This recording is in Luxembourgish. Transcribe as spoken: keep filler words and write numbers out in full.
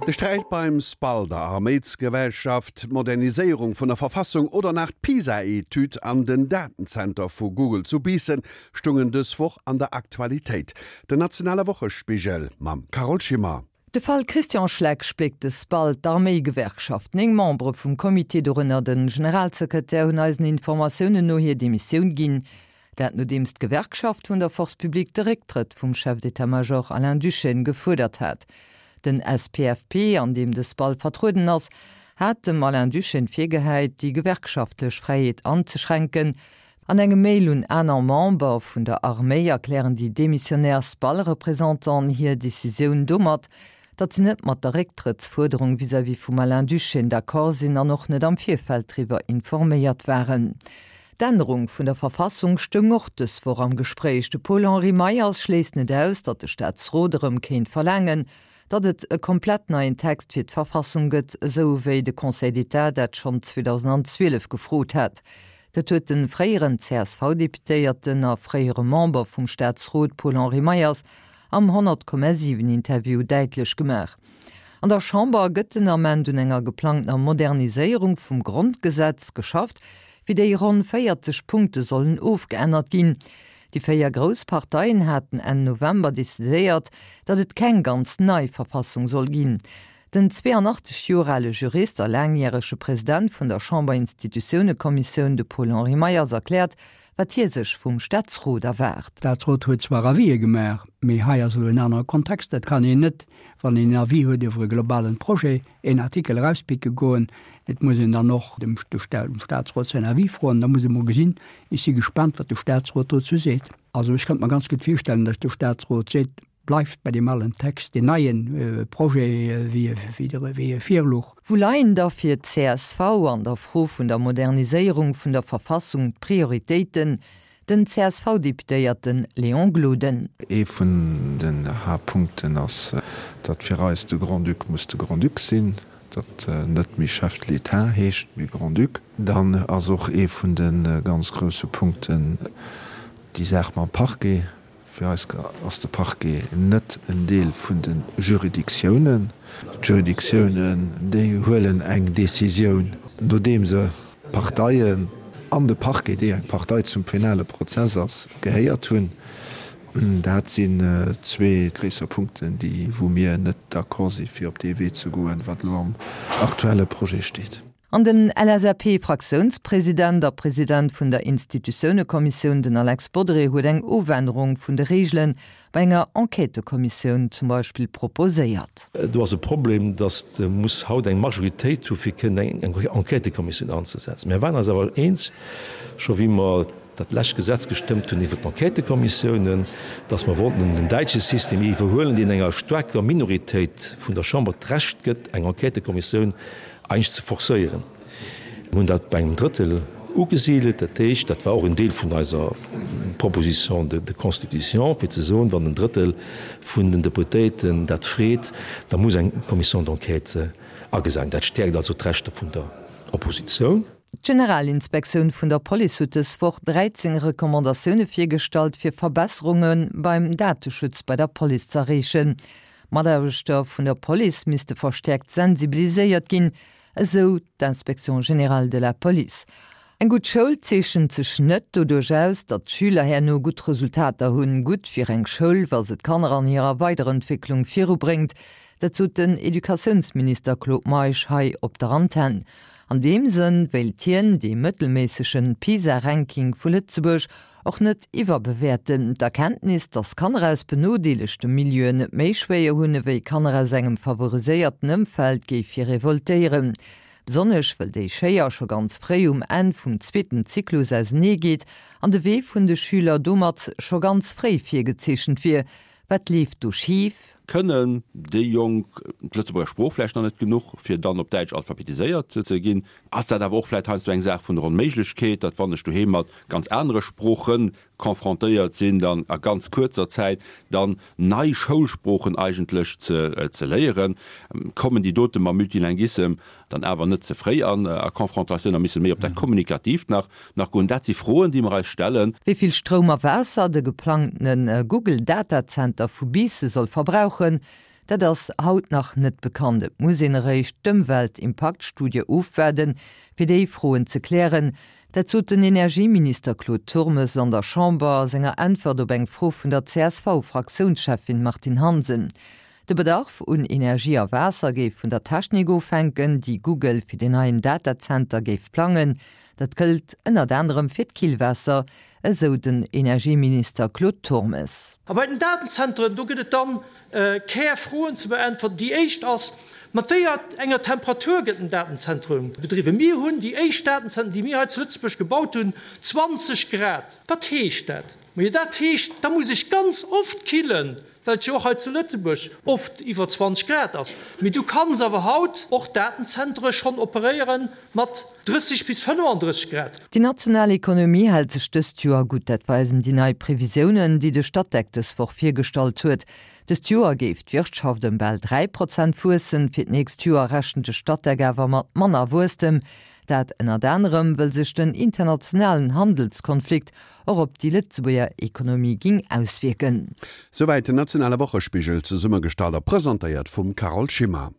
De Sträit beim SPAL, der Arméisgewerkschaft, d'Moderniséierung vun der Verfassung oder nach d'PISA-Etüd an den Datenzenter vu Google zu Biissen stungen dës Woch an der Aktualitéit. Den nationale Wochespigel mam Carole Schimmer. De Fall Christian Schleck spléckt de SPAL, d'Arméigewerkschaft. Néng Membere vum Comité, dorënner de Generalsekretär, hunn eisen Informatiounen no hir Demissioun ginn. Dat nodeems d'Gewerkschaft vun der Force publique de Récktrëtt vum Chef d'état-major Alain Duschène gefuerdert hat. Den S P F P, an deem de SPAL vertrueden ass, hat dem Alain Duschène virgehäit, déi gewerkschaftlech Fräiheet anzeschränken. An engem Mail un aner Member vun der Arméi erklären déi demissionär SPAL-Représentanten hir Decisioun domat, datt se net mat der Récktrëttsfuerderung vis-à-vis vum Alain Duschène d'accord sinn an och net am Virfeld driwwer informéiert waren. D'Ännerung vun der Verfassung stoung och dës Woch am Gespréich. De Paul-Henri Meyers schléisst net aus, datt de Staatsrot erëm kéint verlaangen, datt et e komplett neien Text fir d'Verfassung gëtt, esou wéi de Conseil d'État dat schonn zweedausendzwielef gefrot hat. Dat huet de fréieren C S V-Deputéierten a fréiere Member vum Staatsrot Paul-Henri Meyers am honnert Komma siwen Interview däitlech gemaach. An der Chamber gëtt den Ament un enger geplangter Moderniséierung vum Grondgesetz geschafft, fir déi ronn véierzeg Punkte sollen ofgeännert ginn. Déi véier grouss Parteien haten Enn November decidéiert, datt et keng ganz nei Verfassung soll ginn. Den zweeanachtzeg Joer ale Jurist a laangjärege President vun der Chamberinstitutiounekommissioun, de Paul-Henri Meyers, erkläert, wat hie sech vum Staatsrot erwaart. Staatsrot huet zwar Avisë gemaach, mee hei ass elo en anere Kontext. Dat kann een net, wann een en Avis huet iwwer e globalen Projet, een Artikel erauspicke goen. Et muss een dann och dem Staatsrot säin Avis froen, da muss ee mol gesinn. Ech si gespaant, wat de Staatsrot dozou seet. Also ech kënnt mer ganz gutt virstellen, datt de Staatsrot seet, bleift bei deem alen Text, deen neie Projet wéi wéi e virlouch. Wou leien da fir d'C S V an der Fro vun der Moderniséierung vun der Verfassung d'Prioritéiten? Den C S V-Deputéierte Léon Gloden. Ee vun den Haaptpunkten ass, datt fir eis de Grand-Duc muss de Grand-Duc sinn, datt net méi Chef de l'État heescht, mee Grand-Duc. Dann ass och ee vun de ganz grousse Punkten déi Saach mam Parquet. Fir eis ass de Parquet net en Deel vun de Juridictiounen. D'Juridictiounen, déi huelen eng Decisioun, nodeem se d'Parteien an de Parquet, déi eng Partei zum penale Prozess ass, gehéiert hunn. Dat sinn zwee gréisser Punkten, déi wou mir net d'accord si fir op dee Wee ze goen, wat elo am aktuelle Projet steet. An den L S A P-Fraktiounspresident a President vun der Institutiounekommissioun, den Alex Bodry, huet eng Ofännerung vun de Reegele bei enger Enquêtëkommissioun zum Beispill proposéiert. Do ass e Problem, datt de muss haut eng Majoritéit hu fir kënnen eng Enquêtëkommissioun anzesetzen. Mir waren eis awer eens, scho wéi mer dat lescht Gesetz gestëmmt hunn iwwer d'Enquêtëkommissiounen, datt mer wollten den däitsche System iwwerhuelen, deen enger staarker Minoritéit vun der Chamber d'Recht gëtt, eng Enquêtëkommissioun eigentlech ze forcéieren. Mir hunn dat bei engem Drëttel ugesidelt, dat heescht, dat war och en Deel vun eiser Proposition de de constitution, fir ze soen, wann en Drëttel vun den Deputéierten dat freet, da muss eng Commission d'enquête agesat ginn. Dat stäerkt also d'Rechter vun der Oppositioun. D'Generalinspektioun vun der Police huet dës Woch dräizéng Recommandatioune virgestallt, fir Verbesserunge beim Dateschutz bei der Police z'erreechen. Mataarbechter vun der Police misste verstäerkt sensibiliséiert ginn, esou d'Inspection générale de la police. Eng gutt Schoul zeechent sech net doduerch aus, datt d'Schüler herno gutt Resultater hunn. Gutt wier eng Schoul, wa se d'Kanner an hirer Weiderentwécklung virubréngt. Dat sot den Educatiounsminister Claude Meisch hei op der Antenn. An deem Sënn wéilt hien dee mëttelméissege PISA-Ranking vu Lëtzebuerg och net iwwerbewäerten. D'Erkenntnis, datt Kanner aus benodeelegte Milieuen et méi schwéier hunn ewéi Kanner aus engem favoriséierten Ëmfeld, géif hie revoltéieren. Besonnesch wëll déi Schéier scho ganz fréi um Enn vum zweeten Zyklus auseneegeet an de Wee vun de Schüler domat scho ganz fréi virgezeechent wier. Wat leeft do schif? Kënnen déi Jonk d'Lëtzebuerger Sprooch vläicht nach net genuch, fir dann op Däitsch alphabetiséiert ze ginn? Ass dat awer och vläicht heiansdo eng Saach vun der Onméiglechkeet, datt wann ech doheem mat ganz anere Sprooche confrontéiert sinn, dann a ganz kuerzer Zäit dann nei Schoulsproochen eigentlech ze ze léieren? Kommen déi dote mam Multilinguissem dann awer net ze fréi an a Confrontatioun a misse méi op dat Kommunikatiivt nach nach goen? Dat si Froen, déi mer eis stellen. Wéi vill Stroum a Waasser de geplangtene Google-Datazenter vu Biissen soll verbrauchen, Dat ass haut nach net bekannt. Et muss een eréischt d'Ëmweltimpaktstudie ofwaarden, fir déi Froen ze klären. Dat sot den Energieminister Claude Turmes an der Chamber a senger Äntwert op eng Fro vun der CSV-Fraktiounscheffin Martine Hansen. De Bedarf un Energie a Waasser géif vun der Technik ofhänken, déi Google fir den neien Datazenter géif plangen. Dat gëllt ënnert anerem fir d'Killwaasser, esou den Energieminister Claude Turmes. A bei den Datenzentren, do gëtt et dann Kärfroen ze beäntwerten. Déi éischt ass, Mat wéi enger Temperatur gëtt den Datenzentrum bedriwwen? Mir hunn déi éischt Datenzentren, déi mir hei zu Lëtzebuerg gebaut hunn, zwanzeg Grad. Wat heescht dat? Majo, dat heescht, da muss ech ganz oft killen, well et jo och hei zu Lëtzebuerg oft iwwer zwanzeg Grad ass. Mee du kanns awer haut och Datenzentere schonn operéiere mat drësseg bis fënnefandrësseg Grad. Déi national Ekonomie hält sech dëst Joer gutt, dat weisen déi nei Previsiounen, déi de Statec dës Woch virgestallt huet. Dëst Joer géif d'Wirtschaft ëm bal dräi Prozent wuessen, fir d'nächst Joer rechent de Statec awer mat manner Wuesstem. Dat ënnert anerem, wëll sech den internationalen Handelskonflikt och op déi Lëtzebuerger Ekonomie ging auswierken. Souwäit den nationale Wochespigel, zesummegestallt a presentéiert vum Carole Schimmer.